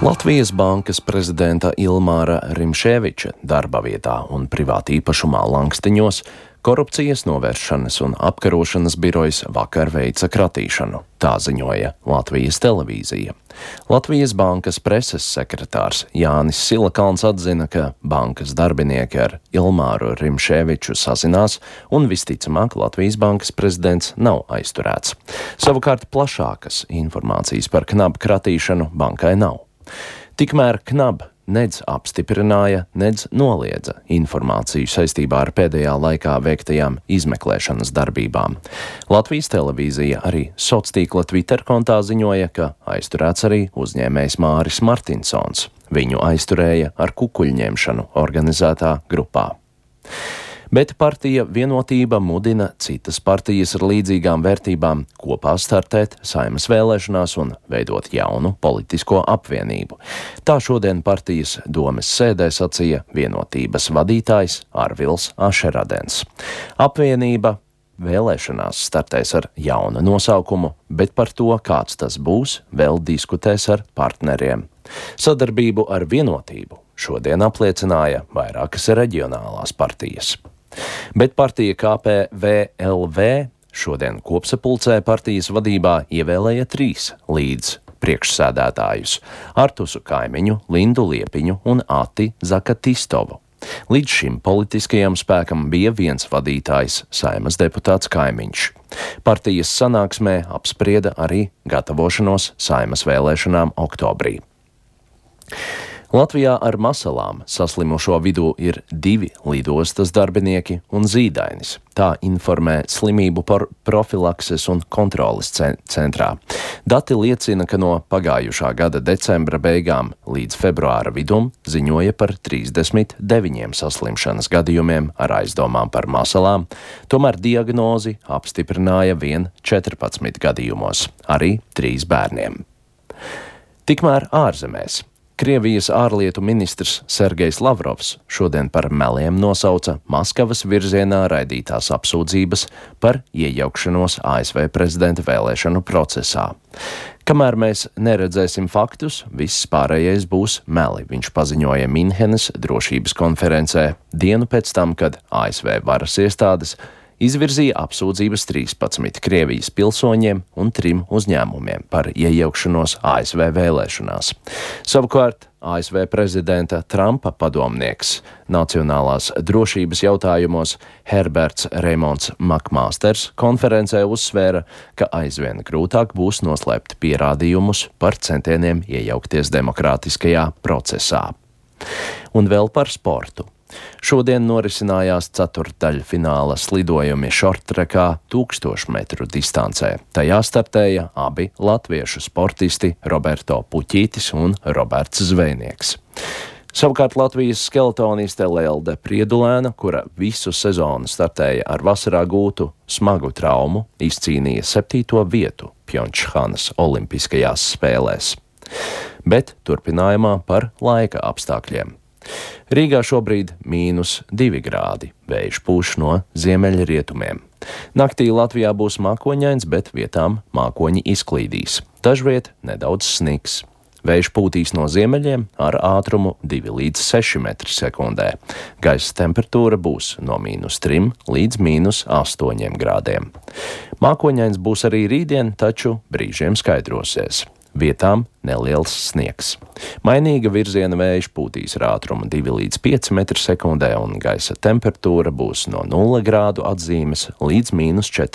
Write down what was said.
Latvijas bankas prezidenta Ilmāra Rimšēviča darba vietā un privāta īpašumā Langstiņos korupcijas novēršanas un apkarošanas birojas vakar veica kratīšanu, tā ziņoja Latvijas televīzija. Latvijas bankas preses sekretārs Jānis Silakalns atzina, ka bankas darbinieki ar Ilmāru Rimšēviču sazinās un visticamāk Latvijas bankas prezidents nav aizturēts. Savukārt plašākas informācijas par KNAB kratīšanu bankai nav. Tikmēr KNAB nedz apstiprināja, nedz noliedza informāciju saistībā ar pēdējā laikā veiktajām izmeklēšanas darbībām. Latvijas televīzija arī sociāltīkla Twitter kontā ziņoja, ka aizturēts arī uzņēmējs Māris Martinsons. Viņu aizturēja ar kukuļņemšanu organizētā grupā. Bet partija Vienotība mudina citas partijas ar līdzīgām vērtībām kopā startēt Saeimas vēlēšanās un veidot jaunu politisko apvienību. Tā šodien partijas domes sēdē sacīja Vienotības vadītājs Arvils Ašeradens. Apvienība vēlēšanās startēs ar jaunu nosaukumu, bet par to, kāds tas būs, vēl diskutēs ar partneriem. Sadarbību ar Vienotību šodien apliecināja vairākas reģionālās partijas. Bet partija KPVLV šodien kopsapulcē partijas vadībā ievēlēja 3 līdz priekšsēdētājus – Artusu Kaimiņu, Lindu Liepiņu un Ati Zakatistovu. Līdz šim politiskajam spēkam bija viens vadītājs – Saeimas deputāts Kaimiņš. Partijas sanāksmē apsprieda arī gatavošanos Saeimas vēlēšanām oktobrī. Latvijā ar masalām saslimušo vidū ir 2 lidostas darbinieki un zīdainis. Tā informē slimību profilakses un kontroles centrā. Dati liecina, ka no pagājušā gada decembra beigām līdz februāra vidum ziņoja par 39 saslimšanas gadījumiem ar aizdomām par masalām, tomēr diagnozi apstiprināja vien 14 gadījumos, arī 3 bērniem. Tikmēr ārzemēs. Krievijas ārlietu ministrs Sergejs Lavrovs šodien par meliem nosauca Maskavas virzienā raidītās apsūdzības par iejaukšanos ASV prezidenta vēlēšanu procesā. Kamēr mēs neredzēsim faktus, viss pārējais būs meli, viņš paziņoja Minhenes drošības konferencē dienu pēc tam, kad ASV varas iestādes izvirzīja apsūdzības 13 Krievijas pilsoņiem un 3 uzņēmumiem par iejaukšanos ASV vēlēšanās. Savukārt ASV prezidenta Trumpa padomnieks nacionālās drošības jautājumos Herberts Reimonds Makmāsters konferencē uzsvēra, ka aizvien grūtāk būs noslēpt pierādījumus par centieniem iejaukties demokrātiskajā procesā. Un vēl par sportu. Šodien norisinājās ceturtdaļfināla slidojumi šorttrekā 1000 metru distancē. Tajā startēja abi latviešu sportisti Roberto Puķītis un Roberts Zvejnieks. Savukārt Latvijas skeletoniste Lelde Priedulēna, kura visu sezonu startēja ar vasarā gūtu smagu traumu, izcīnīja 7. vietu Pjončhanas olimpiskajās spēlēs. Bet turpinājumā par laika apstākļiem. Rīgā šobrīd -2 grādi, vējš pūš no ziemeļrietumiem. Naktī Latvijā būs mākoņains, bet vietām mākoņi izklīdīs. Dažviet nedaudz sniks. Vējš pūtīs no ziemeļiem ar ātrumu 2 līdz 6 metri sekundē. Gaisa temperatūra būs no -3 līdz -8 grādiem. Mākoņains būs arī rītdien, taču brīžiem skaidrosies. Vietām neliels sniegs. Mainīga virziena vējš pūtīs ar ātrumu 2 līdz 5 metri sekundē un gaisa temperatūra būs no 0 grādu atzīmes līdz -4.